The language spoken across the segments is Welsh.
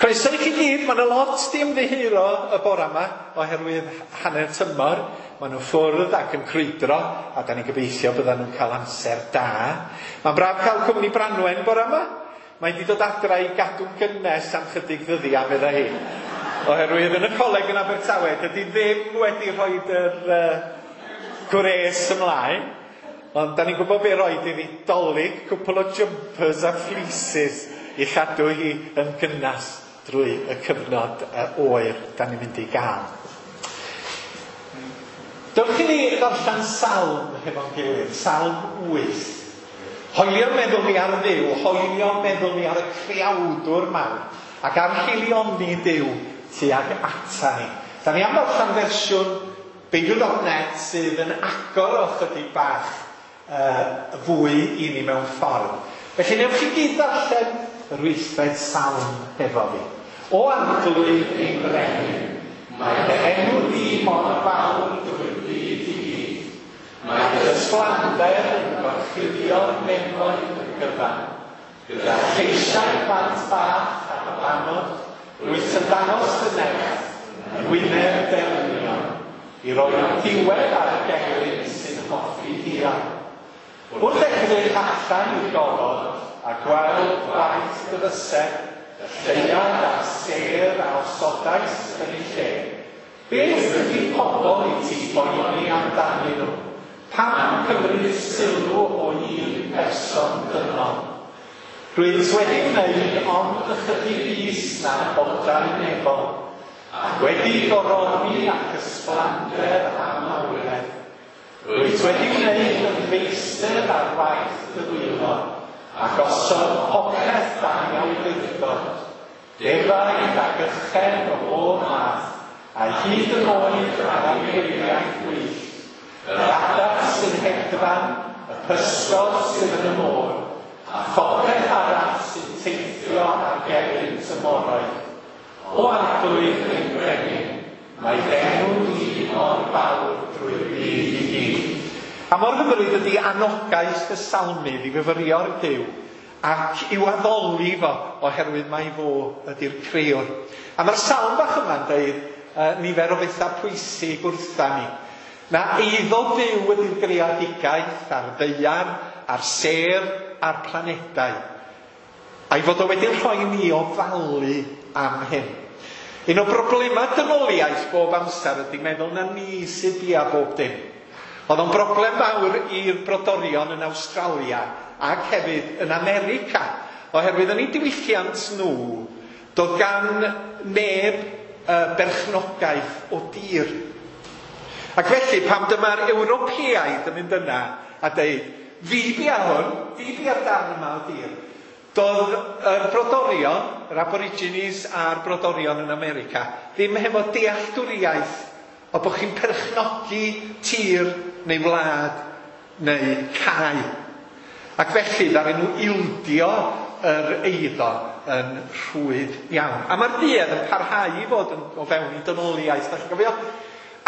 Croeso i chi gyd, mae yna lot di ymddiheuro y bora yma oherwydd hanner tymor. Maen nhw ffwrdd ac yn crwydro a da ni'n gobeithio byddan nhw'n cael amser da. Mae'n braf cael cwmni Branwen bora yma. Mae wedi dod adra i gadw'n gynnes am chydig ddyddiau, meddai hi. Oherwydd yn y coleg yn Abertawe, dydy ddim wedi rhoi yr gwres ymlaen. Ond da ni'n gwybod be roed iddi dolyg, cwpl o jumpers a fleeces i chadw hi yn gynnas drwy y cyfnod oer da ni'n mynd i gael. Dewch i ni ddarllen salm hefo'n gilydd, Salm 8. Hoelio meddwl ni ar Dduw, hoelio meddwl ni ar y creawdwr mawr, ac ar hilioni Duw tuag ata ni. Da ni am ddarllen fersiwn Beibl.net sydd yn agor o chydig bach fwy i ni mewn ffordd. Felly newch chi gyd ddarllen yr wythfed salm hefo fi. O Arglwydd ein brenin, mae dy enw di mor fawr drwy'r byd i gyd. Mae dy ysblander yn gorchuddio'r nefoedd yn gyfan. Gyda lleisiau plant bach a babanod, rwyt yn dangos dy nerth yn wyneb derwynion, i roi diwedd ar y gelyn sy'n hoffi dial. Wrth edrych allan i'r gofod a gweld gwaith dy fysedd, y lleuad a'r sêr a osodais yn eu lle, beth ydy pobl i ti boeni amdanyn nhw? Pam cymryd sylw o un person dynol? Rwyt wedi gwneud ond ychydig is na'r bodau nefol, ac wedi goroni ac ysblander a mawredd. Rwyt wedi gwneud yn feistr ar waith dy ddwylo, a gosod popeth dan awdurdod, defaid ac ychen o bob math, a hyd yn oed ar anifeiliaid gwyllt, yr adar sy'n hedfan, y pysgod sydd yn y môr, a phopeth arall sy'n teithio ar gerrynt y moroedd. O Arglwydd ein brenin, mae d'enw di mor fawr drwy'r byd i gyd. A mor hyfryd ydy anogaeth y salmydd i fyfyrio'r Duw ac i'w addoli fo oherwydd mai fo ydy'r crëwr. A mae'r salm bach yma'n deud nifer o bethau pwysig wrtha ni. Na eiddo Duw ydy'r greadigaeth a'r ddaear, a'r sêr, a'r planedau. A'i fod o wedi rhoi ni ofalu am hyn. Un o broblemau dynoliaeth bob amser ydy meddwl na ni sydd bia bob dim. Oedd o'n broblem fawr i'r brodorion yn Awstralia ac hefyd yn America, oherwydd yn eu diwylliant nhw, doedd gan neb berchnogaeth o dir. Ac felly, pam dyma'r Ewropeaid yn mynd yna a deud, fi bia hwn, fi bia'r darn yma o dir. Doedd yr brodorion, yr Aborigines a'r brodorion yn America, ddim hefo dealltwriaeth o bod chi'n perchnogi tir neu wlad neu cae. Ac felly, ddaru nhw ildio yr eiddo yn rhwydd iawn. A mae'r duedd yn parhau i fod yn, o fewn i dynoliaeth. Da chi'n gofio?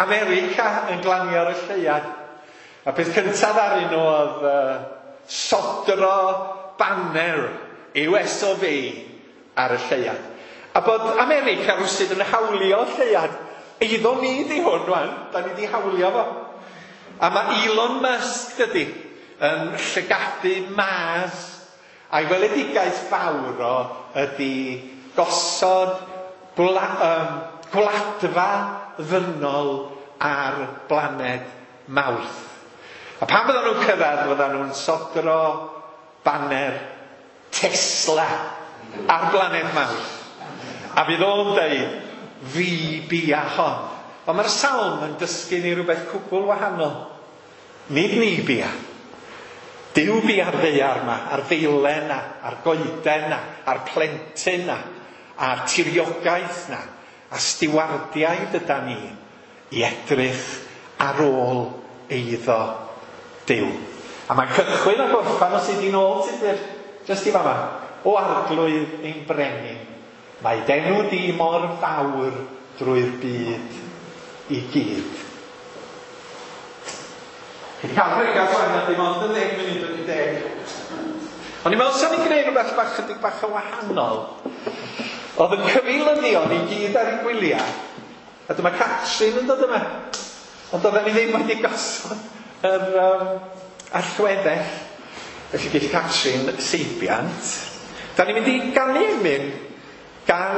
America yn glanio ar y lleuad. A peth cyntaf ddaru nhw oedd sodro banner US of A ar y lleuad. A bod America rwsut yn hawlio lleuad. Eiddo ni di hwn rwan, da ni di hawlio fo. A mae Elon Musk, dydy, yn llygadu Mars. A'i weledigaeth fawr o ydy gosod gwladfa ddynol ar blaned Mawrth. A pan fyddan nhw'n cyrraedd, fyddan nhw'n sodro banner Tesla ar blaned Mawrth. A fydd o'n deud, fi bia hon. Ond mae'r salm yn dysgu ni rhywbeth cwbl wahanol. Nid ni bia. Duw bia'r ddaear yma, a'r ddeilen na, a'r goeden na, a'r plentyn na, a'r tiriogaeth na, a stiwardiaid yda ni i edrych ar ôl eiddo Duw. A mae'n cychwyn a gorffan os ydy nôl Tudur, jyst i fama. O Arglwydd ein brenin, mae d'enw di mor fawr drwy'r byd i gyd. Chi wedi cael pregaeth wan a dim ond yn 10 munud wedi 10. O'n i'n meddwl sa'n ni'n gwneud rhywbeth bach chydig bach yn wahanol. Oedd y cyfeilyddion i gyd ar eu gwyliau, a dyma Catrin yn dod yma. Ond oedden ni ddim wedi gosod yr allweddell. Felly geith Catrin seibiant. Da ni'n mynd i ganu emyn gan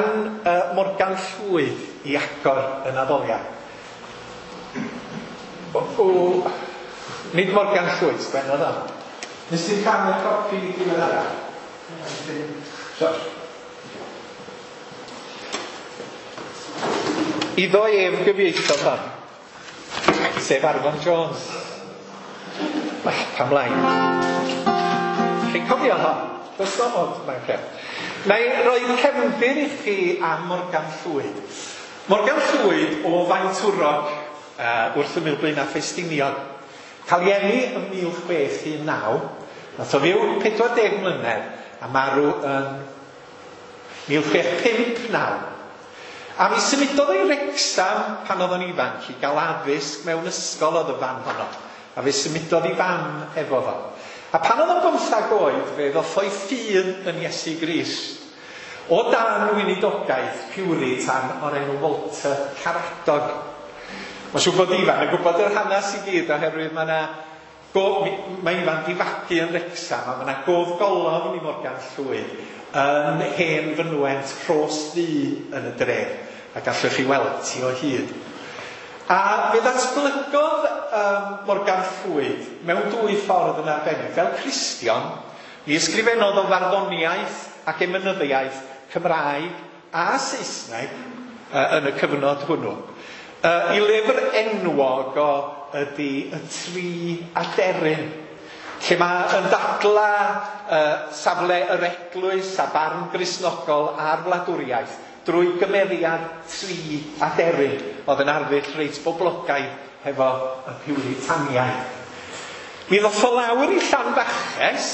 Morgan Llwyd i agor y naddoliad. O, nid Morgan Llwyd, sgwennodd o. Nes ti'n cael y copi diweddara? So. Iddo ef gyfieithodd hon, sef Arfon Jones. Well, pam lai. Chi'n cofio hon? Does no ond, mae'n lle. Na i roi cefndir i chi am Morgan Llwyd. Morgan Llwyd o Faentwrog wrth ymyl Blaenau Ffestiniog. Cael ei eni ym 1619, nath o fyw 40 mlynedd a marw yn 1659. A mi symudodd ei Wrecsam pan oedd o'n ifanc i gael addysg mewn ysgol oedd y fan honno. A fe symudodd ei fam efo fo. A pan oedd o'n 15 oed, fe ddoth o'i ffydd yn Iesu Grist. O dan weinidogaeth Puritan o'r enw Walter Caradog. Mae'n siŵr bod Ifan yn gwybod yr hanes i gyd oherwydd mae yna mae Ifan di fagu yn Wrecsam a mae yna gofgolofn i Morgan Llwyd yn hen fynwent Rhos Ddu yn y dref, a gallwch chi weld ti o hyd. A fe ddatblygodd Morgan Llwyd mewn dwy ffordd yn arbennig. Fel Cristion, mi ysgrifennodd o farddoniaeth ac emynyddiaeth Cymraeg a Saesneg yn y cyfnod hwnnw. I lyfr enwog o ydy Y Tri Aderyn, lle mae yn dadla safle yr eglwys a barn Gristnogol a'r wladwriaeth drwy gymeriad tri aderyn oedd yn arddull reit boblogaidd hefo y Piwritaniaid. Mi ddoth o lawr i Llanfaches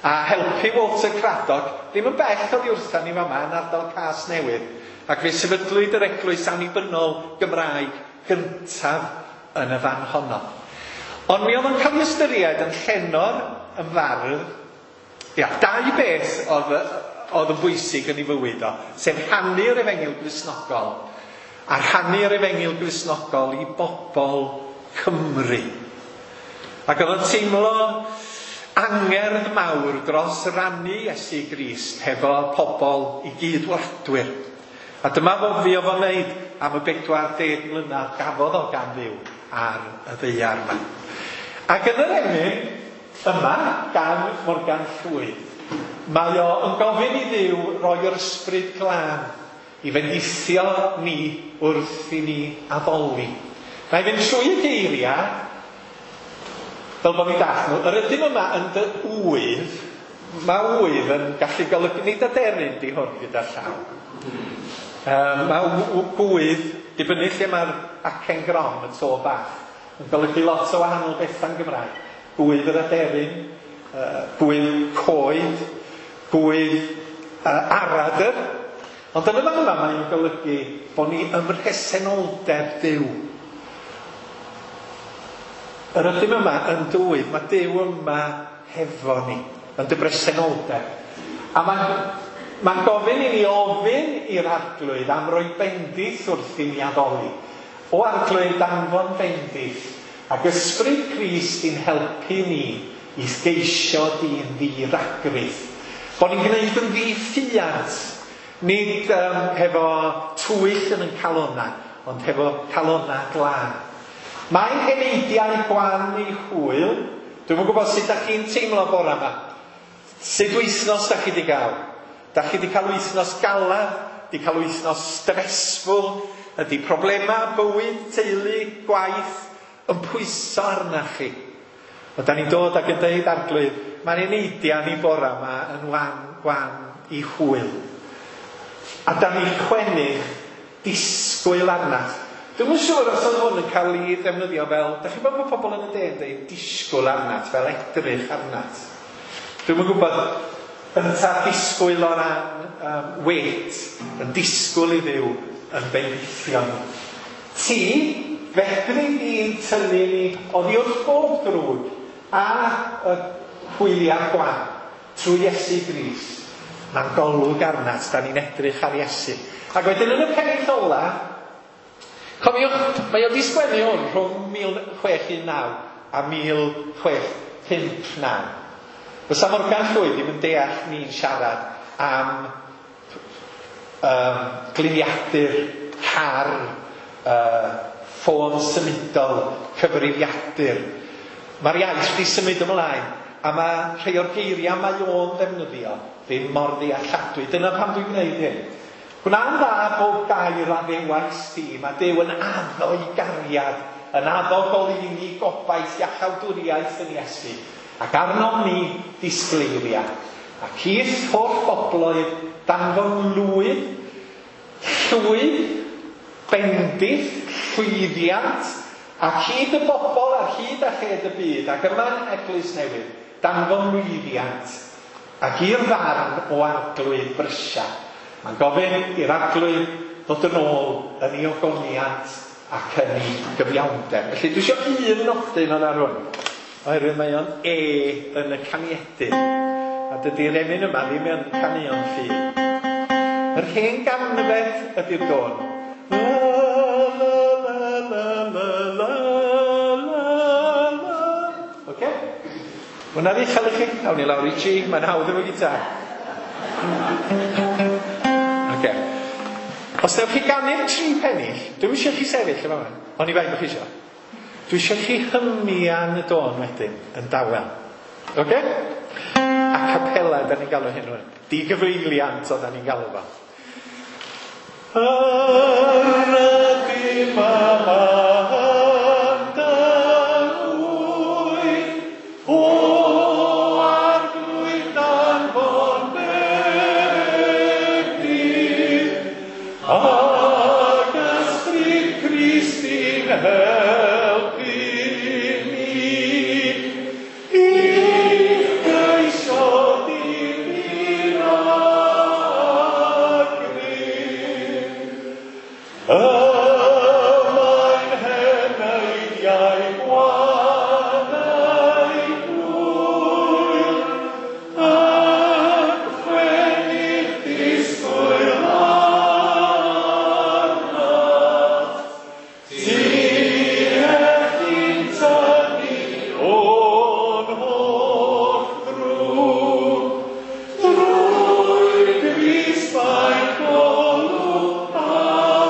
a helpu Walter Craddock, ddim yn bell oddi wrtha ni fama yn ardal Casnewydd, ac fe sefydlwyd yr eglwys annibynnol Gymraeg gyntaf yn y fan honno. Ond mi oedd o'n cael ei ystyried yn llenor, yn fardd. Ia, dau beth oedd yn bwysig yn ei fywyd o, sef rhannu'r efengyl Gristnogol, a rhannu'r efengyl Gristnogol i bobl Cymru. Ac oedd o'n teimlo angerdd mawr dros rannu Iesu Grist hefo pobl i gydwladwyr. A dyma fo fuodd o'n wneud am y 40 mlynedd gafodd o gan Dduw ar y ddaear yma. Ac yn yr emyn yma gan Morgan Llwyd, mae o yn gofyn i Dduw roi yr ysbryd glân i fendithio ni wrth i ni addoli. Mae'n fynd trwy y geiriau, fel bod ni'n dallt nhw. Yr ydym yma yn dy ŵydd, mae ŵydd yn gallu golygu, nid aderyn di hwn gyda llaw. Mae gwydd, dibynnu lle mae'r acen grom, y to bach, yn golygu lot o wahanol bethau'n Gymraeg. Gwydd yr aderyn, gwydd coed, gwydd aradr. Ond yn y fan yma mae'n golygu bod ni ym mhresenoldeb Duw. Yr ydym yma yn dwydd, mae Duw yma hefo ni, yn dy bresenoldeb. A mae'n gofyn i ni ofyn i'r Arglwydd am roi bendith wrth i ni addoli. O Arglwydd, danfon bendith, ac ysbryd Crist i'n helpu ni i geisio di'n ddi-ragrith. Bod ni'n gwneud yn ddi-ffiant, nid hefo twyll yn ein calonnau, ond hefo calonnau glân. Mae'n heneidiau gwan i hwyl. Dwi'm yn gwybod sut dach chi'n teimlo bore yma. Sut wythnos dach chi wedi gael? Dach chi wedi cael wythnos galad? Wedi cael wythnos stressful? Ydy problemau, bywyd, teulu, gwaith yn pwyso arna chi? O, da ni'n dod ac yn deud, Arglwydd, mae'n eneidiau ni bore yma yn wan i hwyl. A da ni'n chwennych disgwyl arna. Dwi'm yn siŵr os oedd hwn yn cael ei ddefnyddio fel, dach chi'n gwybod bod pobl yn y de yn dweud disgwyl arnat, fel edrych arnat. Dwi'm yn gwybod ynta disgwyl o ran wait, yn disgwyl i Dduw yn bendithio ni. Ti, fedri di'n tynnu ni oddi wrth bob drwg a y hwyliau gwan trwy Iesu Grist, Mae'n golwg arnat, da ni'n edrych ar Iesu. Ac wedyn yn y pennill ola, cofiwch, mae o 'di sgwennu hwn rhwng 1619 a 1659. Fysa Morgan Llwyd ddim yn deall ni'n siarad am gliniadur, car, ffôn symudol, cyfrifiadur. Mae'r iaith 'di symud ymlaen, a mae rhai o'r geiriau mae o'n ddefnyddio ddim mor ddealladwy. Dyna pam dwi'n gwneud hyn. Gwna'n dda bob gair a ddewais di. Mae Duw yn addo i gariad, yn addo goleuni gobaith iachawdwriaeth yn Iesu, ac arnom ni disgleiria. Ac i'th holl bobloedd danfon lwyd, llwyd, bendith, llwyddiant, ac hyd y bobl ar hyd a lled y byd, ac yma'n Eglwys Newydd, danfon lwyddiant, ac i'r farn o Arglwydd brysia. Mae'n gofyn i'r Arglwydd ddod yn ôl yn ei ogoniant ac yn ei gyfiawnder. Felly dwi eisiau un nodyn o'n ar hwn, oherwydd mae o'n E yn y caniedydd. A dydy'r emyn yma ddim yn caneuon ffydd. Yr hen ganfed ydy'r dôn. La, la, la, la, la, la, la, la. Oce? Hwna'n uchel i chi? Awn ni lawr i G, mae'n hawdd efo gitar. Oce. Os newch chi ganu'r tri pennill, dwi'm eisiau chi sefyll yma, ond i bai bod chi eisiau. Dwi eisiau chi hymian y dôn wedyn, yn dawel. Oce? A capela, da ni'n galw hyn rwan. Digyfeiliant o da ni'n galw fo. Yr ydym yma yn dy ŵydd, o Arglwydd danfon bendith, ac ysbryd Crist i'n helpu ni, i'th geisio difyr a grym. Y mae'n heneidiau gwan ei hwyl, yn chwennych disgwyl arnat. Ti ellin tynnu o'n holl ddrwg, drwy Grist mae'n golwg atat.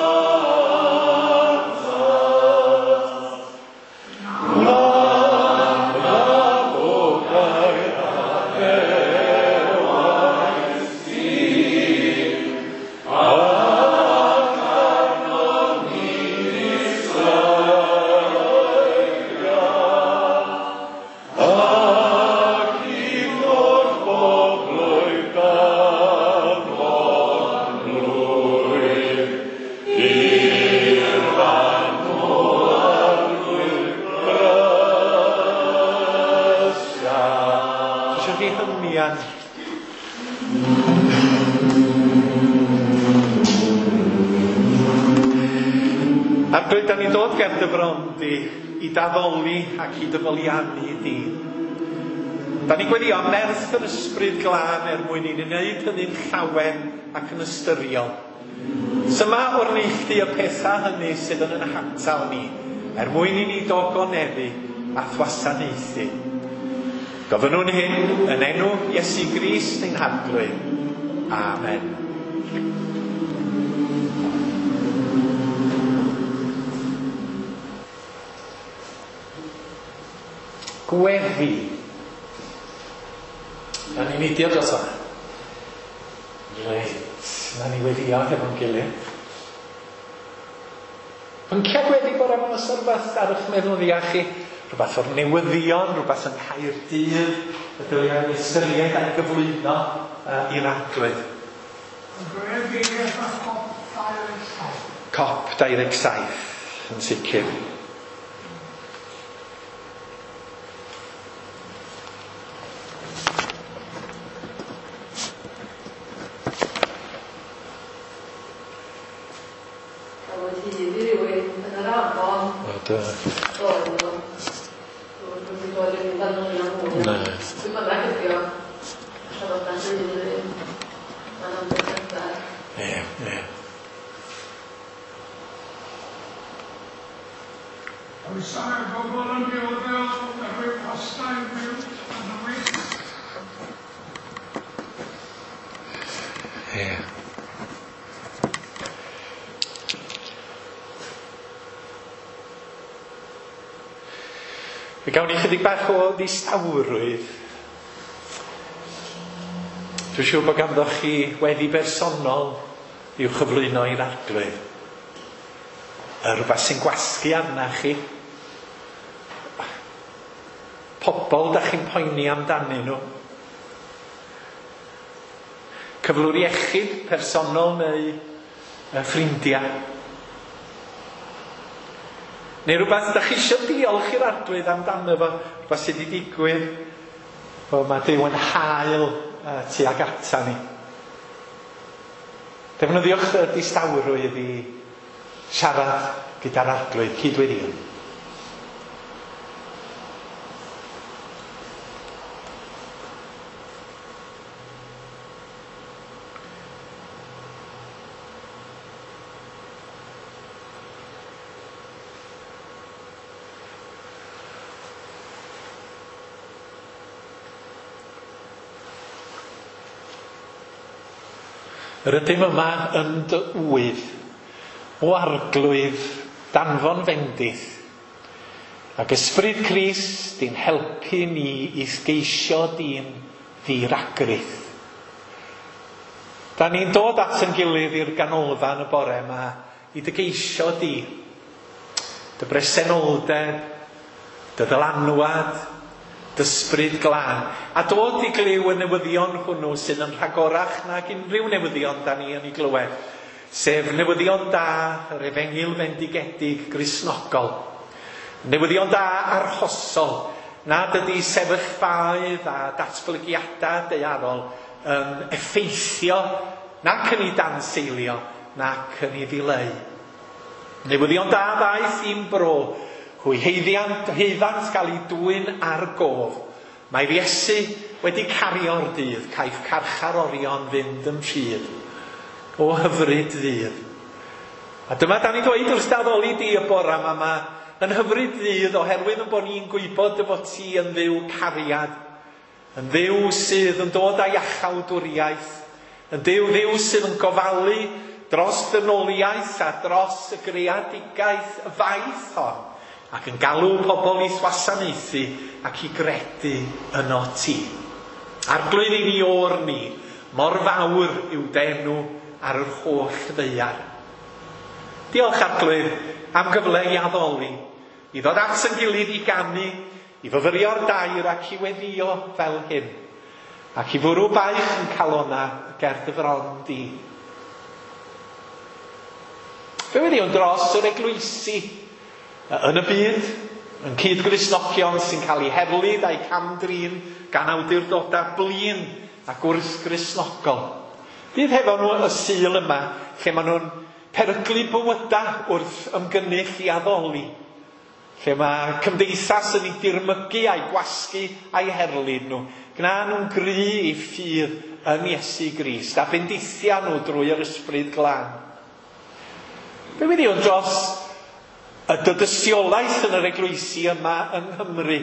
Glan boblau addewais di, ac arnon ni ddisgleiria, ac i'th holl bobloedd danfon lwyd, i'r fan o Arglwydd brysia. Dwi eisiau chi hymian. Arglwydd, da ni'n dod ger dy fron di i daddoli ac i dyfoliannu di. Da ni'n gweddio am nerth yr ysbryd glân er mwyn i ni wneud hynny'n llawen ac yn ystyriol. Syma o'r neilltu y pethau hynny sydd yn ein hatal ni, er mwyn i ni dogoneddu a thwasanaethu. Gofynnwn hyn yn enw Iesu Grist ein Harglwydd. Amen. Gweddi. Na ni'n neidio dros hwnna. Reit, na ni weddio hefo'n gilydd. Pynciau gweddi bore yma, oes 'na rhywbeth ar eich meddwl ddiach chi? Rhywbeth o'r newyddion, rhywbeth yng Nghaerdydd, y dylia ni ystyried a'i gyflwyno i'r Arglwydd. Gweddi efo COP 27. COP 27, yn sicr. Cafwyd hyd i rywun yn yr afon. O, do. Do, do. Dwi'n wedi bod yn fanylion mwy. Na. Dwi'n bynnag ydi o. Ella fod na'n dweud i rywun. Pwysau ar bobl yn dioddef oherwydd costau byw yn newid. Ie. Fe gawn ni chydig bach o ddistawrwydd. Dwi'n siŵr bod ganddoch chi weddi bersonol i'w chyflwyno i'r Arglwydd. Rhywbeth sy'n gwasgu arna chi. Pobol da chi'n poeni amdanyn nhw. Cyflwr iechyd personol neu ffrindiau. Neu rhywbeth da chi eisiau diolch i'r Arglwydd amdano fo, rhywbeth sydd wedi digwydd, o, mae Duw yn hael tuag ata ni. Defnyddiwch y distawrwydd i siarad gyda'r Arglwydd, cydweddïo. Yr ydym yma yn dy ŵydd, o Arglwydd, danfon fendith, ac Ysbryd Crist di'n helpu ni i'th geisio di'n ddiragrith. Da ni'n dod at yn gilydd i'r ganolfan y bore yma i dy geisio di, dy bresenoldeb, dy ddylanwad, dy ysbryd glân, a dod i glyw y newyddion hwnnw sydd yn rhagorach nag unrhyw newyddion da ni yn ei glywed, sef newyddion da yr efengyl fendigedig Gristnogol. Newyddion da arhosol, nad ydy sefyllfaoedd a datblygiadau daearol yn effeithio nac yn ei danseilio, nac yn ei ddileu. Newyddion da ddaeth i'n bro, hwy heiddant gael ei dwyn ar gof. Mae Iesu wedi cario'r dydd, caiff carcharorion fynd yn rhydd. O hyfryd ddydd. A dyma da ni'n dweud wrth addoli di y bora yma, ma yn hyfryd ddydd oherwydd yn bod ni'n gwybod dy fod ti yn Dduw cariad, yn Dduw sydd yn dod â iachawdwriaeth, yn Dduw sydd yn gofalu dros ddynoliaeth a dros y greadigaeth y faith hon, ac yn galw pobl i'th wasanaethu ac i gredu yno ti. Arglwydd i ni o'r ni, mor fawr yw d'enw ar yr holl ddaear. Diolch Arglwydd am gyfle i addoli, i ddod at yn gilydd i ganu, i fyfyrio'r dair ac i weddïo fel hyn, ac i fwrw baich yn calona ger dy fron di. Fe weddïwn dros yr eglwysi yn y byd, yn cyd-Gristnogion sy'n cael eu herlid a'u cam-drin gan awdurdodau blin ac wrth-Gristnogol. Bydd hefo nhw y Sul yma, lle maen nhw'n peryglu bywydau wrth ymgynnull i addoli, lle mae cymdeithas yn ei dirmygu a'i gwasgu a'i herlid nhw. Gna nhw'n gry i ffydd yn Iesu Grist a bendithia nhw drwy yr Ysbryd Glân. Be weddïwn dros y dystiolaeth yn yr eglwysi yma yng Nghymru,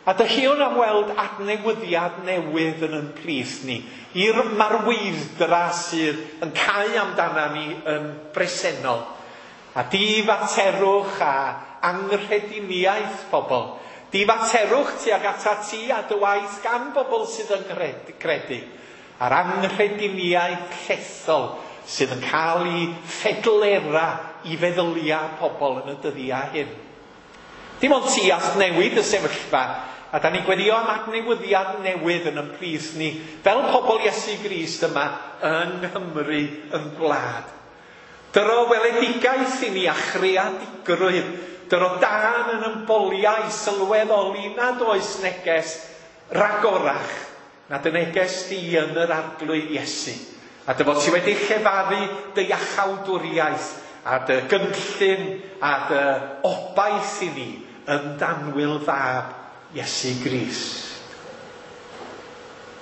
a dyhewn am weld adnewyddiad newydd yn ein plith ni, i'r marweidd-dra sydd yn cau amdana ni yn bresennol, a difaterwch a anghrediniaeth pobl, difaterwch tuag atat ti a dy waith gan bobl sydd yn credu, a'r anghrediniaeth llethol sydd yn cael ei ffedlera i feddyliau pobl yn y dyddiau hyn. Dim ond ti all newid y sefyllfa, a da ni'n gweddio am adnewyddiad newydd yn ein plith ni, fel pobl Iesu Grist yma yng Nghymru yn gwlad. Dyro weledigaeth i ni a chreadigrwydd, dyro dân yn emboliau sylweddoli nad oes neges ragorach na dy neges di yn yr Arglwydd Iesu. A dy fod ti wedi llefaru dy iachawdwriaeth a dy gynllun a dy obaith i ni yn danwyl fab Iesu Grist.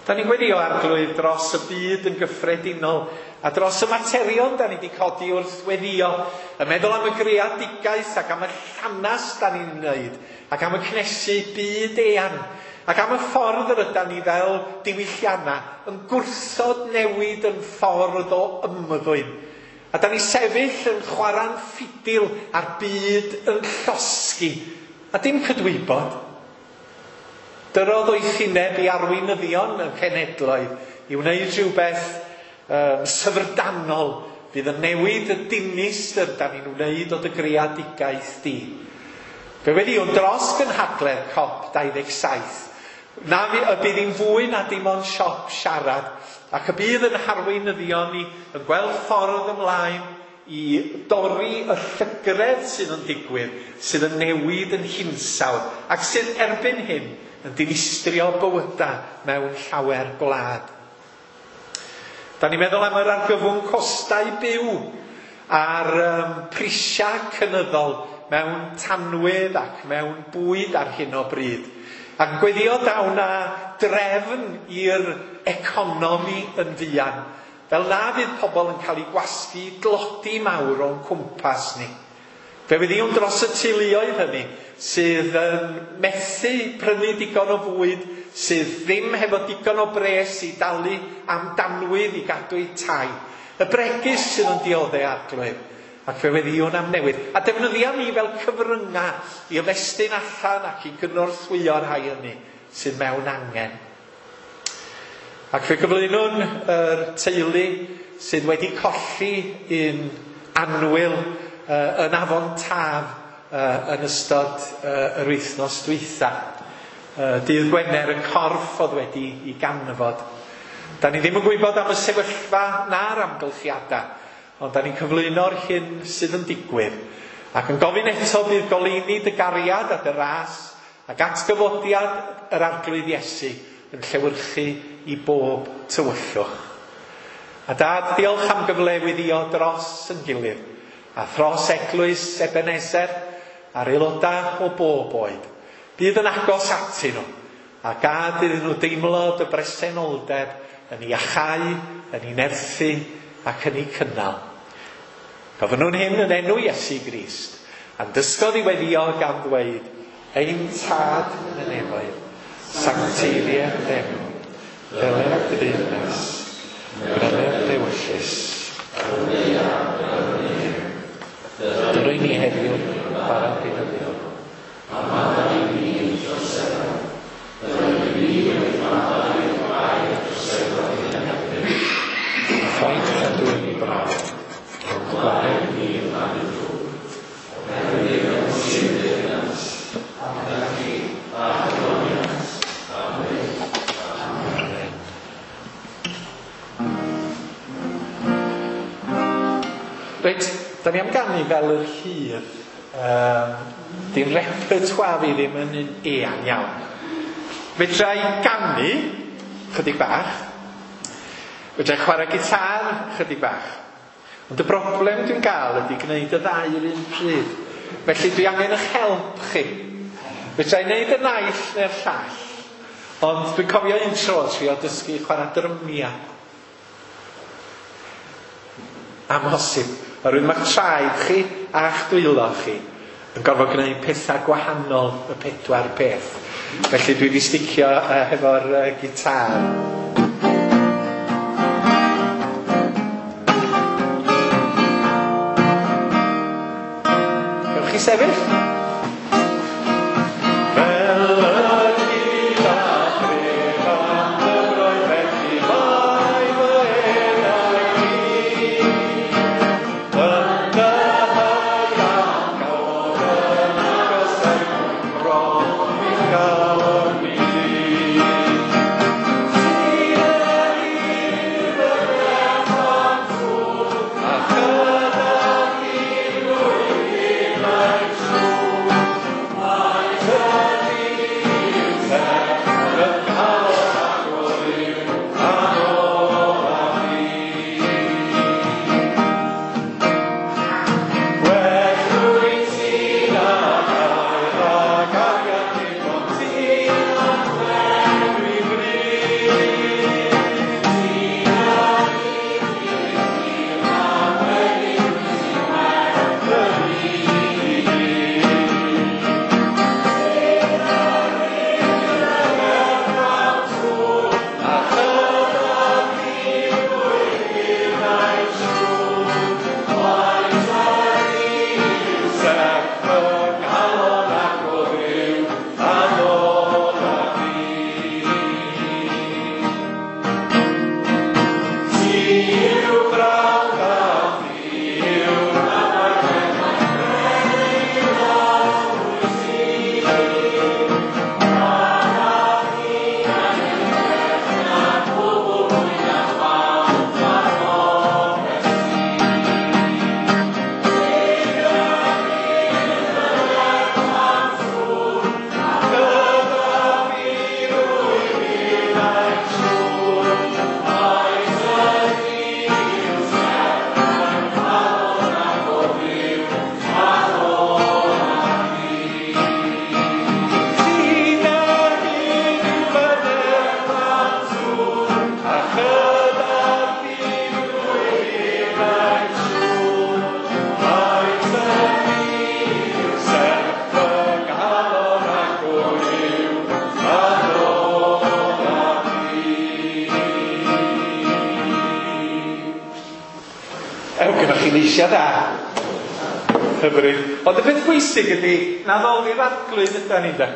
Da ni'n gweddio Arglwydd dros y byd yn gyffredinol a dros y materion da ni wedi codi wrth weddio, y meddwl am y greadigaeth ac am y llanas da ni'n wneud, ac am y cnesu byd eang, ac am y ffordd yr ydan ni fel diwyllianna yn gwrthod newid yn ffordd o ymddwyn. A da ni sefyll yn chwarae'n ffidil a'r byd yn llosgi, a dim cydwybod. Dyrodd oethineb i arweinyddion y cenedloedd i wneud rhywbeth syfrdanol fydd yn newid y dinistr da ni'n wneud o dy greadigaeth di. Fe weddiwn dros gynhadledd COP27. Na y bydd hi'n fwy na dim ond siop siarad, ac y bydd yn harweinyddion ni yn gweld ffordd ymlaen i dorri y llygredd sydd yn digwydd, sydd yn newid yn hinsawdd, ac sydd erbyn hyn yn dinistrio bywydau mewn llawer gwlad. Da ni'n meddwl am yr argyfwng costau byw a'r prisiau cynyddol mewn tanwydd ac mewn bwyd ar hyn o bryd. Ac yn gweddio daw na drefn i'r economi yn fuan, fel na fydd pobl yn cael eu gwasgu dlodi mawr o'n cwmpas ni. Fe weddiwn dros y teuluoedd hynny sydd yn methu prynu digon o fwyd, sydd ddim hefo digon o bres i dalu am danwydd i gadw eu tai. Y bregus sydd yn dioddef Arglwydd, ac fe weddiwn am newid. A defnyddia ni fel cyfryngau i ymestyn allan ac i gynorthwyo'r rhai hynny sydd mewn angen. Ac fe gyflwynwn yr teulu sydd wedi colli un annwyl yn Afon Taf yn ystod yr wythnos dwytha. Dydd Gwener, y corff oedd wedi i ganfod. Da ni ddim yn gwybod am y sefyllfa na'r amgylchiadau, ond da ni'n cyflwyno'r hyn sydd yn digwydd. Ac yn gofyn eto bydd goleuni dy gariad a dy ras ac atgyfodiad yr Arglwydd Iesu yn llewyrchu i bob tywyllwch. A Dad, diolch am gyfle weddio dros yn gilydd, a thros eglwys Ebenezer a'r aelodau o bob oed. Bydd yn agos atyn nhw, a gad iddyn nhw deimlo dy bresenoldeb yn ei achau, yn ei nerthu ac yn ei cynnal. Gofynnwn hyn yn enw Iesu Grist, a'n dysgodd i weddio gan ddweud, Ein Tad yn y nefoedd, sancteiddier d'enw, ddeler dy deyrnas, gweler dy ewyllys, Dyrau ni heddiw bara beunyddiol. A maddau i ni ein troseddau, fel y ni wedi maddau i'r rhai a droseddodd ein herbyn. A phaid cadw i ni brawf, ond gwared ni rhag y drwg. Oherwydd y sydd deyrnas, a'r gallu, a'r gogoniant, am byth. Amen. Reit, da ni am ganu fel yr hydd. Di'n repertoire fi ddim yn un eang iawn. Fedra i ganu chydig bach. Fedra i chwarae gitar chydig bach. Ond y broblem dwi'n gael ydy gwneud y ddau yr un pryd. Felly dwi angen eich help chi. Fedra i wneud y naill neu'r llall. Ond dwi'n cofio un tro trio dysgu chwarae drymiau. Amhosib. Oherwydd mae'ch traed chi a'ch dwylo chi yn gorfod gwneud pethau gwahanol y pedwar peth. Felly dwi wedi sticio hefo'r gitar. Gewch chi sefyll? Fel y hyd a thref am dyfroedd, felly mae fy enau i. Yn dy hagan gawod yn agos er mwyn bron i galon i. Sydd yr un fy am ffwrdd, a chyda thi flwyddyn mae'n siŵr. Ew, gyda chi leisiau da. Hyfryd. Ond y peth bwysig ydy, na ddoli'r Arglwydd yda ni da.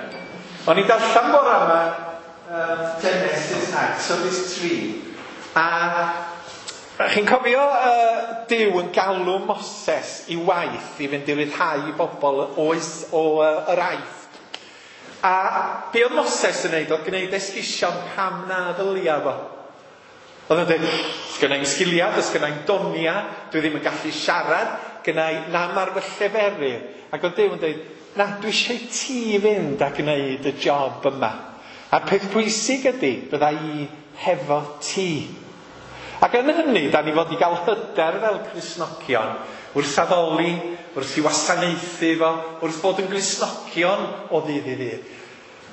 O'n i'n darllen bore yma Genesis Exodus 3. A chi'n cofio Duw yn galw Moses i waith i fynd i ryddhau i bobl oes o yr Aifft. A be oedd Moses yn neud oedd gwneud esgusion pam na ddylia fo. Oedd o'n dweud, sgynna i'm sgiliau, does gynna i'm donia, dwi ddim yn gallu siarad, gynna i nam ar fy lleferydd. Ac oedd Duw yn dweud, na, dwi eisiau ti fynd a gwneud y job yma. A'r peth pwysig ydy, bydda i hefo ti. Ac yn hynny, da ni fod i gael hyder fel Cristnogion, wrth addoli, wrth i wasanaethu fo, wrth fod yn Gristnogion o ddydd i ddydd.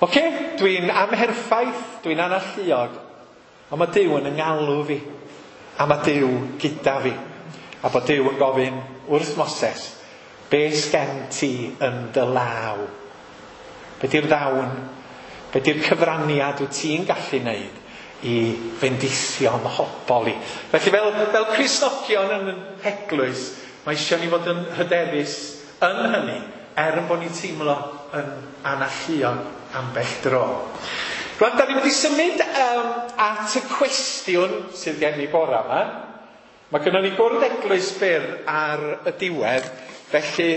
Oce, dwi'n amherffaith, dwi'n analluog, ond mae Duw yn 'ngalw fi, a mae Duw gyda fi. A bod Duw yn gofyn wrth Moses, be sgen ti yn dy law? Be di'r ddawn? Be di'r cyfraniad wyt ti'n gallu wneud i fendithio 'mhobol i? Felly fel Cristnogion yn yn heglwys, mae eisiau ni fod yn hyderus yn hynny, er yn bod ni'n teimlo yn analluog ambell dro. Rwan, da ni'n mynd i symud at y cwestiwn sydd gen i bora yma. Mae gynnon ni gwrdd eglwys byr ar y diwedd, felly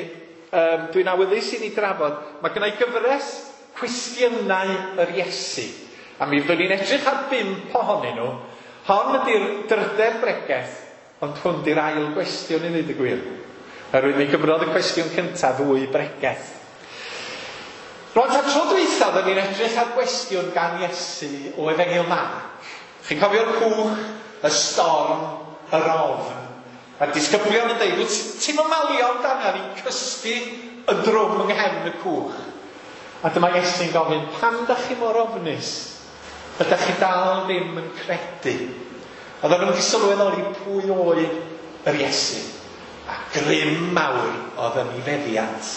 dwi'n awyddus i ni drafod. Mae gynna i gyfres cwestiynau yr Iesu, a mi fyddwn ni'n edrych ar 5 ohonyn nhw. Hon ydy'r drydedd bregeth, ond hwn di'r ail gwestiwn i ddweud y gwir. Oherwydd mi gymrodd y cwestiwn cyntaf 2 bregeth. Rwan, ta tro dwytha, oedden ni'n edrych ar gwestiwn gan Iesu o Efengyl Marc. Chi'n cofio'r cwch, y storm, yr ofn. A'r disgyblion yn dweud, wyt ti'n malio amdana ni'n cysgu y drwm yng nghefn y cwch? A dyma Iesu'n gofyn, pam da chi mor ofnus? Ydych chi dal ddim yn credu? Oedden nhw'n wedi sylweddoli pwy oedd yr Iesu. A grym mawr oedd yn ei feddiant.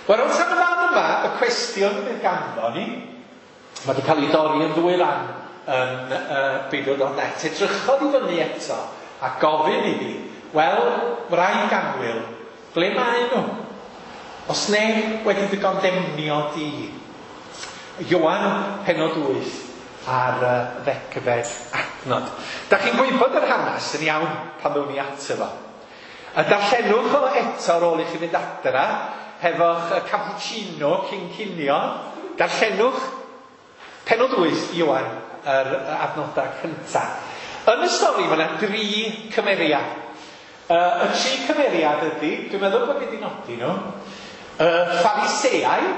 Wel, wrth am y fan yma, y cwestiwn fydd ganddo ni, mae wedi cael ei dorri yn ddwy ran yn Beibl.net. Edrychodd i fyny eto a gofyn iddi, wel, wraig annwyl, ble mae nhw? Os neb wedi dy gondemnio di? Ioan penod 8 ar 10fed adnod. Da chi'n gwybod yr hanes yn iawn pan ddown ni ato fo. A darllenwch o eto ar ôl i chi fynd adra, hefo'ch cappuccino cyn cinio. Darllenwch penod 8 Ioan, yr adnodau cyntaf. Yn y stori mae yna 3 cymeriad. Y 3 cymeriad ydy, dwi'n meddwl bod fi wedi nodi nhw, y Phariseaid.